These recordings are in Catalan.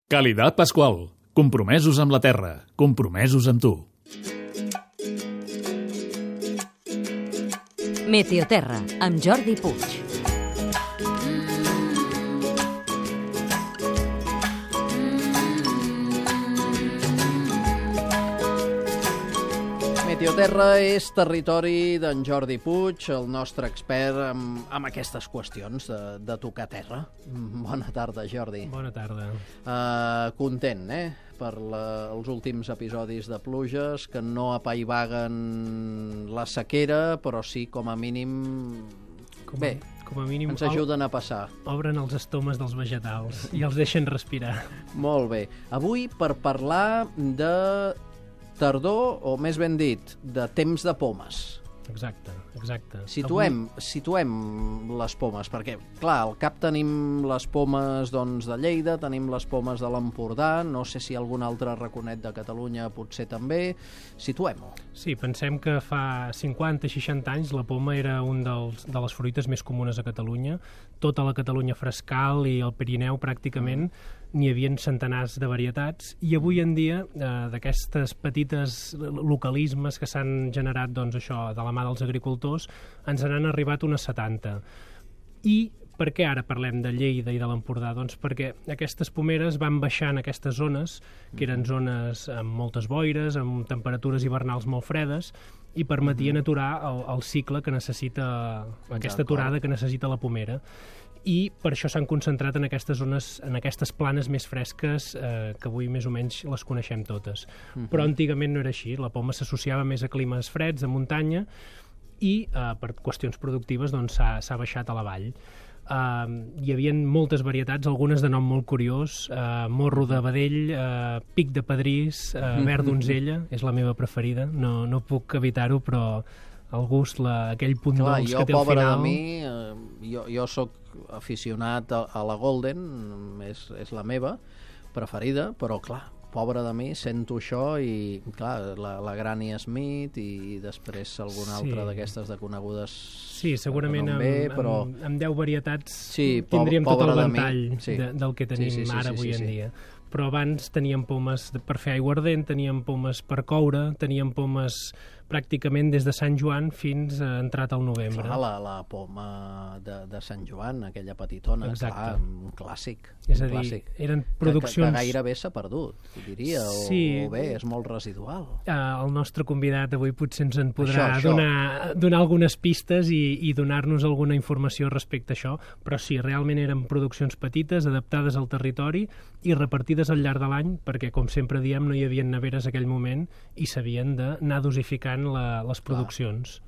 Qualitat Pasqual. Compromesos amb la terra. Compromesos amb tu. Meteoterra, amb Jordi Puig. Meteoterra és territori d'en Jordi Puig, el nostre expert amb aquestes qüestions de tocar terra. Bona tarda, Jordi. Bona tarda. Content, per els últims episodis de pluges, que no apaivaguen la sequera, però sí, com a mínim... Com a mínim ens ajuden a passar. Obren els estomes dels vegetals i els deixen respirar. Molt bé. Avui, per parlar de tardor, o més ben dit, de temps de pomes. Exacte. Situem les pomes, perquè, clar, al cap tenim les pomes de Lleida, tenim les pomes de l'Empordà, no sé si algun altre raconet de Catalunya potser també. Situem-ho. Sí, pensem que fa 50-60 anys la poma era un de les fruites més comunes a Catalunya. Tota la Catalunya frescal i el Pirineu pràcticament n'hi havia centenars de varietats, i avui en dia d'aquestes petites localismes que s'han generat de la mà dels agricultors ens n'han arribat unes 70. I per què ara parlem de Lleida i de l'Empordà? Doncs perquè aquestes pomeres van baixant aquestes zones, que eren zones amb moltes boires, amb temperatures hivernals molt fredes, i permetien aturar el cicle que necessita, aquesta aturada que necessita la pomera. I per això s'han concentrat en aquestes zones, en aquestes planes més fresques, que avui més o menys les coneixem totes. Però antigament no era així. La poma s'associava més a climes freds, a muntanya, i per qüestions productives s'ha baixat a la vall. Hi havia moltes varietats, algunes de nom molt curiós: morro de vedell, pic de pedrís, verd donzella, és la meva preferida, no puc evitar-ho, però el gust, aquell punt dolç que té al final... Pobra de mi, jo soc aficionat a la Golden, és la meva preferida, però clar, pobra de mi, sento això i clar, la Granny Smith i després alguna altra d'aquestes de conegudes. Sí, segurament amb 10 varietats tindríem tot el ventall del que tenim ara avui en dia. Però abans teníem pomes per fer aiguardent, teníem pomes per coure, teníem pomes pràcticament des de Sant Joan fins a entrat al novembre. Clar, la poma de Sant Joan, aquella petitona, clar, un clàssic. És a dir, eren produccions... Que gairebé s'ha perdut, diria, o bé, és molt residual. El nostre convidat avui potser ens en podrà donar algunes pistes i donar-nos alguna informació respecte a això, però sí, realment eren produccions petites, adaptades al territori i repartides al llarg de l'any, perquè, com sempre diem, no hi havia neveres en aquell moment i s'havien d'anar dosificant les produccions.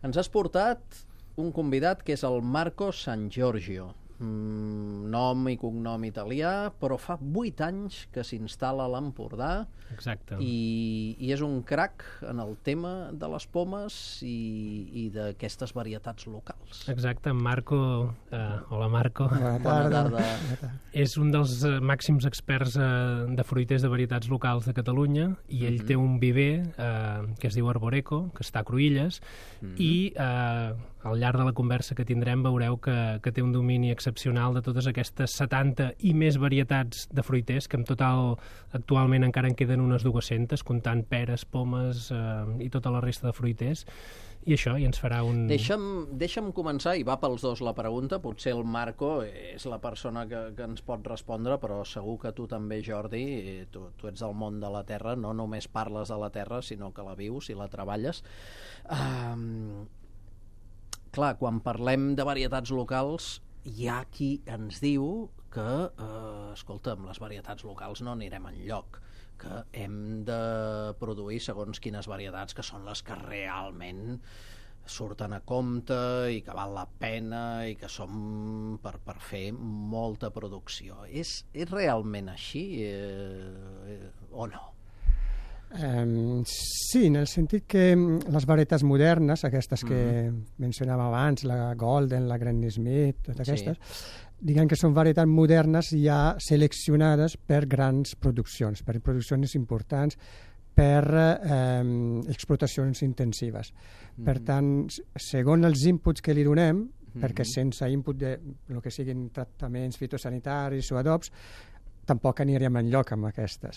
Ens has portat un convidat que és el Marco San Giorgio, nom i cognom italià, però fa 8 anys que s'instal·la a l'Empordà. Exacte. I és un crac en el tema de les pomes i d'aquestes varietats locals. Exacte, Marco... Hola, Marco. Bona tarda. És un dels màxims experts de fruiters de varietats locals de Catalunya, i ell té un viver que es diu Arboreco, que està a Cruïlles, i al llarg de la conversa que tindrem veureu que té un domini excepcional de totes aquestes 70 i més varietats de fruiters, que en total actualment encara en queden unes 200, comptant peres, pomes i tota la resta de fruiters. I això, i ens farà un... Deixa'm començar, i va pels dos la pregunta. Potser el Marco és la persona que ens pot respondre, però segur que tu també, Jordi, tu ets del món de la terra, no només parles de la terra, sinó que la vius i la treballes. Clar, quan parlem de varietats locals, hi ha qui ens diu que, escolta'm, les varietats locals no anirem enlloc, que hem de produir segons quines varietats que són les que realment surten a compte i que val la pena i que són per fer molta producció. És realment així o no? Sí, en el sentit que les varietats modernes, aquestes que mencionàvem abans, la Golden, la Granny Smith, totes aquestes, diguem que són varietats modernes ja seleccionades per grans produccions, per produccions importants, per explotacions intensives. Per tant, segons els inputs que li donem, perquè sense input de el que siguin tractaments fitosanitaris o adobs, tampoc aniríem enlloc amb aquestes.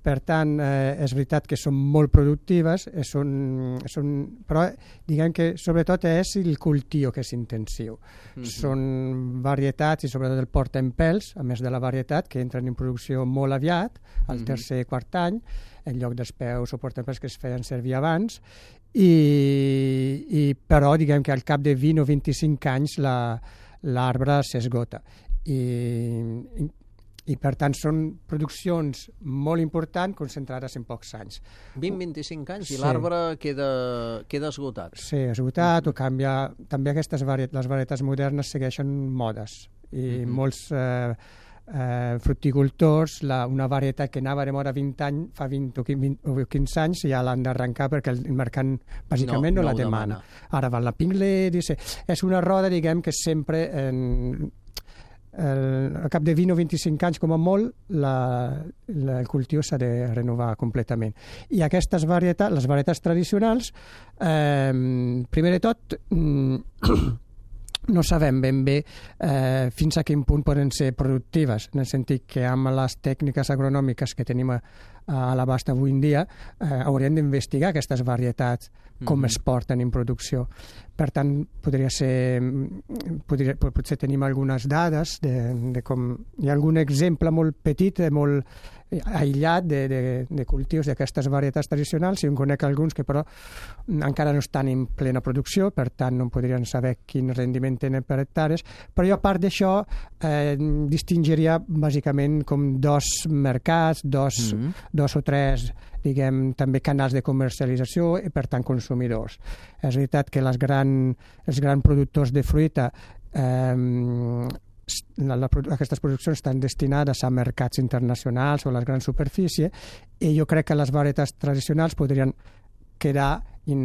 Per tant, és veritat que són molt productives, però diguem que sobretot és el cultiu que és intensiu. Són varietats, i sobretot el portaempels, a més de la varietat, que entren en producció molt aviat, al tercer quart any, en lloc dels peus o portaempels que es feien servir abans, però diguem que al cap de 20 o 25 anys l'arbre s'esgota. I per tant són produccions molt importants concentrades en pocs anys. 20-25 anys i l'arbre queda esgotat. Sí, esgotat o canvia. També les varietats modernes segueixen modes i molts fruticultors, una varietat que anava de moda 20 anys, fa 20 o 15 anys ja l'han d'arrencar perquè el mercat bàsicament no la demana. Ara va la Pinglet, és una roda, diguem, que sempre al cap de 20 o 25 anys com a molt el cultiu s'ha de renovar completament. I aquestes varietats, les varietats tradicionals, primer de tot no sabem ben bé fins a quin punt poden ser productives, en el sentit que amb les tècniques agronòmiques que tenim a l'abast avui en dia hauríem d'investigar aquestes varietats, com es porten en producció. Per tant, potser tenim algunes dades de com hi ha algun exemple molt petit, molt aïllat de cultius d'aquestes varietats tradicionals, i en conec alguns que però encara no estan en plena producció, per tant no podrien saber quin rendiment tenen per hectares, però jo a part d'això distingiria bàsicament com dos mercats, dos o tres, diguem, també canals de comercialització i per tant consumidors. És veritat que els grans productors de fruita aquestes produccions estan destinades a mercats internacionals o a les grans superfícies, i jo crec que les varietats tradicionals podrien quedar en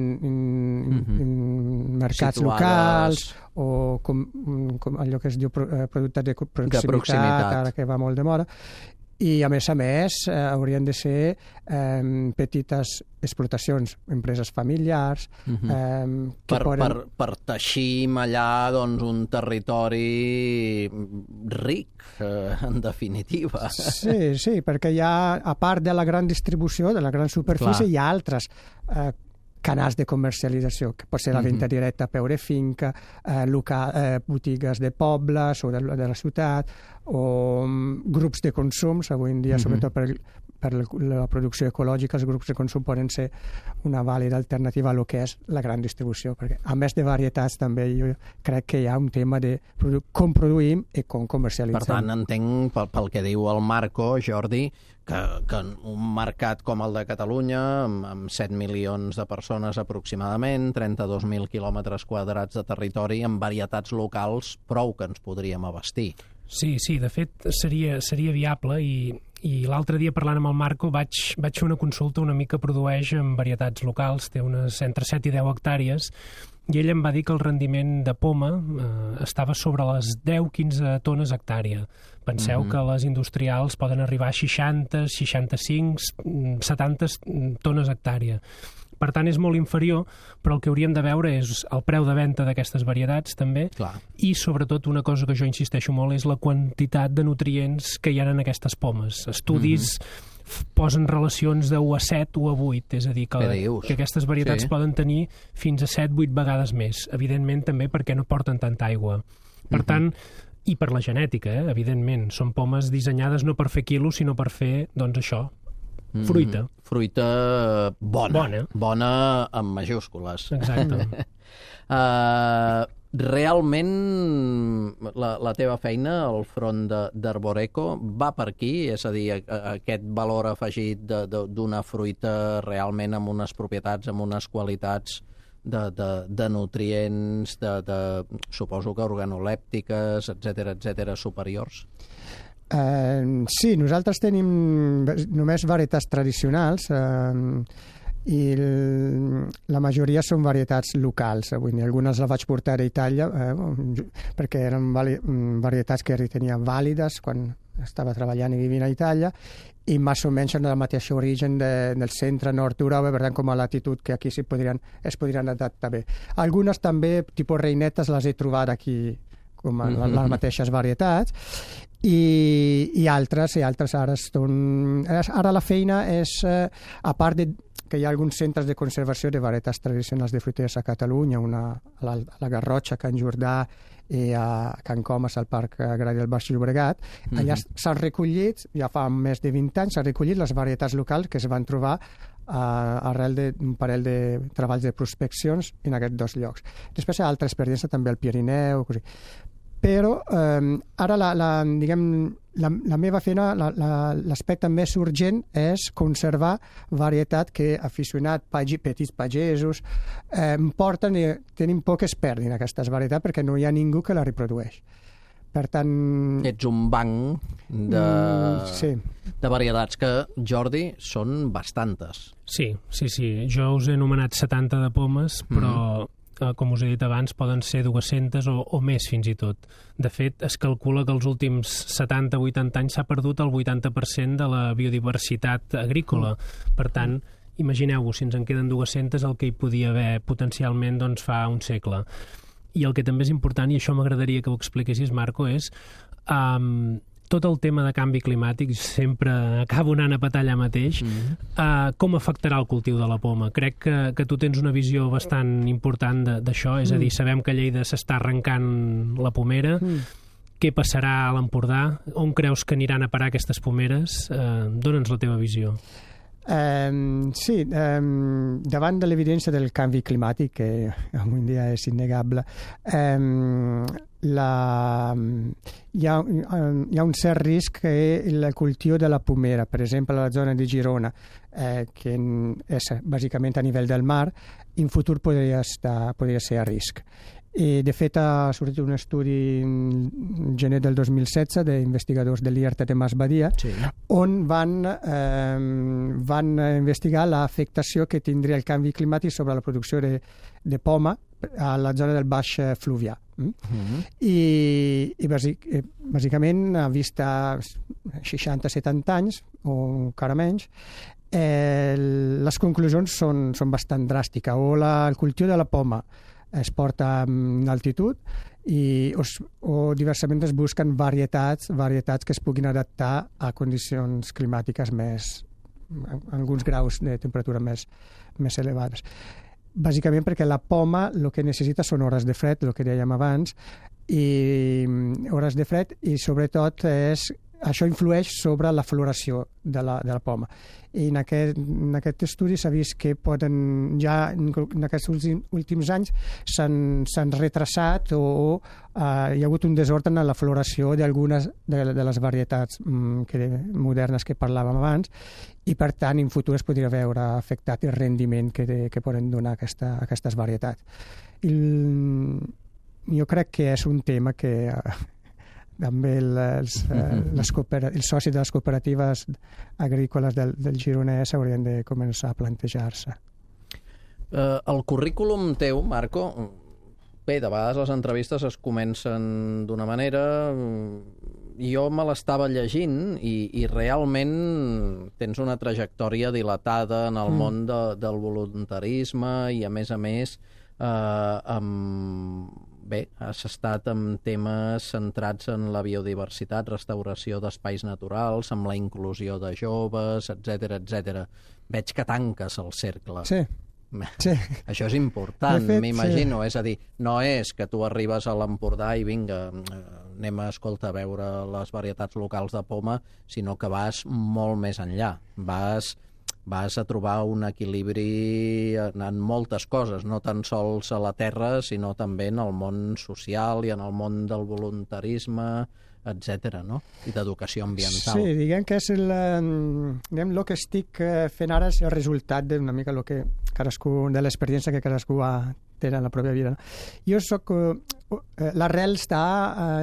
mercats locals o com allò que es diu productes de proximitat, ara que va molt de moda. I a més haurien de ser petites explotacions, empreses familiars per teixir i mallar un territori ric, en definitiva. Sí, perquè hi ha, a part de la gran distribució, de la gran superfície, hi ha altres canals de comercialització, que pot ser la venda directa a peu de finca, botigues de pobles o de la ciutat, o grups de consums. Avui en dia, sobretot per la producció ecològica, els grups de consum poden ser una vàlida alternativa a lo que és la gran distribució, perquè a més de varietats també jo crec que hi ha un tema de com produïm i com comercialitzem. Per tant, entenc pel que diu el Marco, Jordi, que un mercat com el de Catalunya, amb 7 milions de persones aproximadament, 32.000 quilòmetres quadrats de territori, amb varietats locals, prou que ens podríem abastir. Sí, de fet seria viable, i l'altre dia parlant amb el Marco vaig fer una consulta a un amic que produeix en varietats locals, té unes entre 7 i 10 hectàrees, i ell em va dir que el rendiment de poma estava sobre les 10-15 tones hectàrea. Penseu que les industrials poden arribar a 60, 65, 70 tones hectàrea. Per tant, és molt inferior, però el que hauríem de veure és el preu de venda d'aquestes varietats, també, i sobretot una cosa que jo insisteixo molt és la quantitat de nutrients que hi ha en aquestes pomes. Estudis posen relacions de 1 a 7 o a 8, és a dir, que aquestes varietats poden tenir fins a 7-8 vegades més, evidentment també perquè no porten tanta aigua. Per tant, i per la genètica, evidentment, són pomes dissenyades no per fer quilos, sinó per fer, doncs això, fruita. Fruita bona amb majúscules. Exacte. Realment la teva feina al front d'Arboreco va per aquí? És a dir, aquest valor afegit d'una fruita realment amb unes propietats, amb unes qualitats de nutrients, suposo que organolèptiques, etcètera, superiors? Sí, nosaltres tenim només varietats tradicionals i la majoria són varietats locals. Algunes les vaig portar a Itàlia perquè eren varietats que tenia vàlides quan estava treballant i vivint a Itàlia, i més o menys són del mateix origen del centre-nord d'Europa, per tant, com a latitud que aquí es podrien adaptar bé. Algunes també, tipus reinetes, les he trobat aquí com les mateixes varietats, i altres ara la feina és, a part de que hi ha alguns centres de conservació de varietats tradicionals de fruiters a Catalunya, una a la Garrotxa, a Can Jordà, i a Can Comas, al Parc Agrari del Baix Llobregat. Allà s'han recollit, ja fa més de 20 anys, s'han recollit les varietats locals que es van trobar arrel d'un parell de treballs de prospeccions en aquests dos llocs. Després hi ha altra experiència també al Pirineu, così. Però ara la meva feina, l'aspecte més urgent és conservar varietat que aficionats, petits pagesos, porten i tenim poques perdin aquestes varietats perquè no hi ha ningú que la reprodueix. Per tant... Ets un banc de varietats que, Jordi, són bastantes. Sí. Jo us he anomenat 70 de pomes, però... com us he dit abans, poden ser 200 o més fins i tot. De fet, es calcula que els últims 70-80 anys s'ha perdut el 80% de la biodiversitat agrícola. Per tant, imagineu-vos, si ens en queden 200, el que hi podia haver potencialment fa un segle. I el que també és important, i això m'agradaria que ho expliquessis, Marco, és tot el tema de canvi climàtic, sempre acabo anant a petar allà mateix, com afectarà el cultiu de la poma? Crec que tu tens una visió bastant important d'això, és a dir, sabem que a Lleida s'està arrencant la pomera, què passarà a l'Empordà? On creus que aniran a parar aquestes pomeres? Dóna'ns la teva visió. Sí, davant de l'evidència del canvi climàtic, que avui en dia és innegable, hi ha un cert risc que el cultiu de la pomera, per exemple a la zona de Girona, que és bàsicament a nivell del mar, en futur podria ser a risc. I, de fet, ha sortit un estudi en gener del 2016 d'investigadors de l'IRT de Masbadia, on van investigar l'afectació que tindria el canvi climàtic sobre la producció de poma a la zona del Baix Fluvià. I bàsicament, a vista 60-70 anys, o encara menys, les conclusions són bastant dràstiques. O el cultiu de la poma es porta en altitud o diversament es busquen varietats que es puguin adaptar a condicions climàtiques alguns graus de temperatura més elevades. Bàsicament perquè la poma el que necessita són hores de fred, el que dèiem abans, i hores de fred, i sobretot això influeix sobre la floració de la poma. I en aquest estudi s'ha vist que ja en aquests últims anys s'han retrasat o hi ha hagut un desordre en la floració d'algunes de les varietats modernes que parlàvem abans, i per tant en futur es podria veure afectat el rendiment que poden donar aquestes varietats. Jo crec que és un tema que també els socis de les cooperatives agrícoles del Gironès haurien de començar a plantejar-se. El currículum teu, Marco, bé, de vegades les entrevistes es comencen d'una manera, jo me l'estava llegint i realment tens una trajectòria dilatada en el món del voluntarisme i, a més, bé, has estat amb temes centrats en la biodiversitat, restauració d'espais naturals, amb la inclusió de joves, etc. Veig que tanques el cercle. Sí. Això és important, m'imagino. És a dir, no és que tu arribes a l'Empordà i vinga, anem a veure les varietats locals de poma, sinó que vas molt més enllà. Vas a trobar un equilibri en moltes coses, no tan sols a la terra, sinó també en el món social i en el món del voluntarisme, etc., no? I d'educació ambiental. Sí, diguem que és el que estic fent ara és el resultat d'una mica de l'experiència que cadascú té en la pròpia vida. Jo soc... L'arrel està a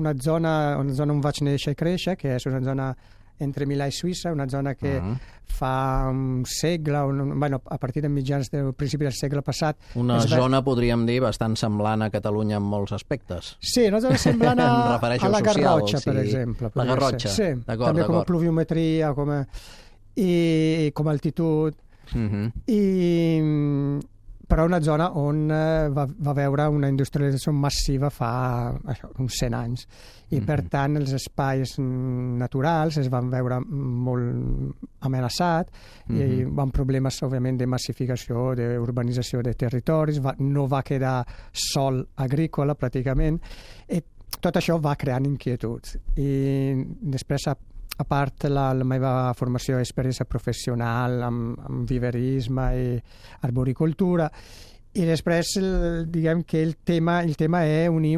una zona on vaig néixer i créixer, que és una zona entre Milà i Suïssa, una zona que fa un segle, a partir de mitjans del principi del segle passat... Una zona, podríem dir, bastant semblant a Catalunya en molts aspectes. Sí, una zona semblant a la Garrotxa, per exemple. La Garrotxa, sí, també com a pluviometria, i com a altitud. però una zona on va veure una industrialització massiva fa uns 100 anys. I, per tant, els espais naturals es van veure molt amenaçats i van problemes, òbviament, de massificació, d'urbanització de territoris, no va quedar sol agrícola, pràcticament. I tot això va creant inquietuds. I després, a part la meva formació i experiència professional amb viverisme i arboricultura, i després diguem que el tema és unir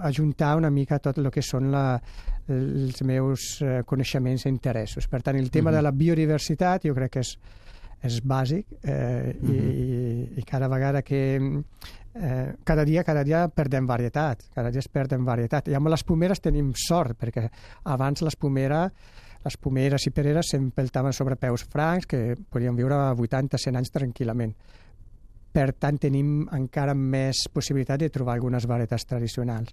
ajuntar una mica tot el que són els meus coneixements i interessos. Per tant, el tema de la biodiversitat jo crec que és bàsic i cada vegada que cada dia perdem varietat, cada dia es perden varietat. I amb les pomeres tenim sort, perquè abans les pomeres i pereres s'empeltaven sobre peus francs que podien viure 80-100 anys tranquil·lament. Per tant, tenim encara més possibilitat de trobar algunes varietats tradicionals.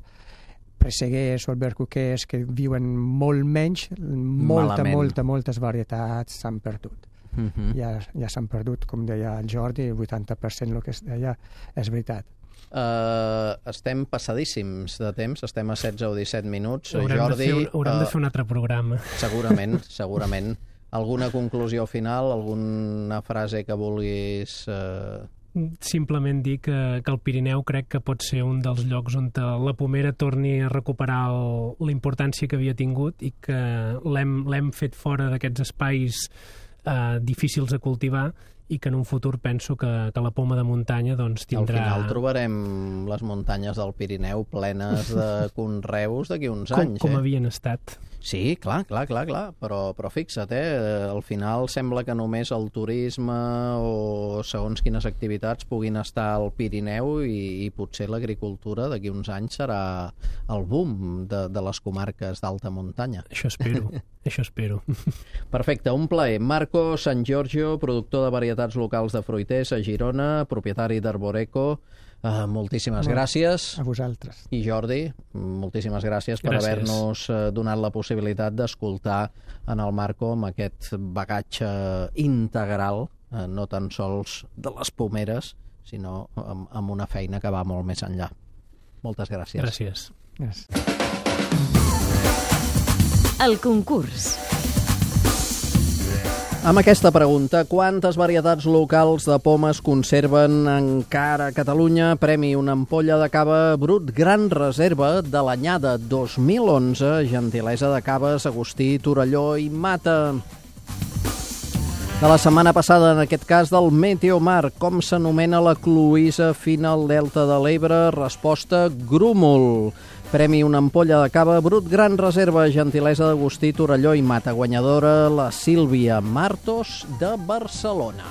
Presseguers o albercoquers que viuen molt menys, moltes varietats s'han perdut. Ja s'han perdut, com deia el Jordi, 80% el que es deia és veritat. Estem passadíssims de temps, estem a 16 o 17 minuts. Jordi, haurem de fer un altre programa. Segurament. Alguna conclusió final, alguna frase que vulguis... Simplement dir que el Pirineu crec que pot ser un dels llocs on la pomera torni a recuperar la importància que havia tingut i que l'hem fet fora d'aquests espais difícils de cultivar i que en un futur penso que la poma de muntanya doncs, tindrà... Al final trobarem les muntanyes del Pirineu plenes de conreus d'aquí uns anys. Com havien estat. Sí, clar, però fixa't, al final sembla que només el turisme o segons quines activitats puguin estar al Pirineu i potser l'agricultura d'aquí uns anys serà el boom de les comarques d'alta muntanya. Això espero. Perfecte, un plaer. Marco San Giorgio, productor de varietats locals de fruiters a Girona, propietari d'Arboreco. Moltíssimes gràcies. A vosaltres. I Jordi, moltíssimes gràcies per haver-nos donat la possibilitat d'escoltar en el Marco amb aquest bagatge integral, no tan sols de les pomeres, sinó amb una feina que va molt més enllà. Moltes gràcies. Gràcies. El concurs. Amb aquesta pregunta, quantes varietats locals de pomes conserven encara a Catalunya? Premi una ampolla de cava brut Gran Reserva de l'anyada 2011, gentilesa de caves Agustí, Torelló i Mata. De la setmana passada, en aquest cas, del Meteomar, com s'anomena la cloïssa fina al delta de l'Ebre? Resposta, grúmol. Premi una ampolla de cava brut Gran Reserva, gentilesa d'Agustí, Torelló i Mata. Guanyadora, la Sílvia Martos, de Barcelona.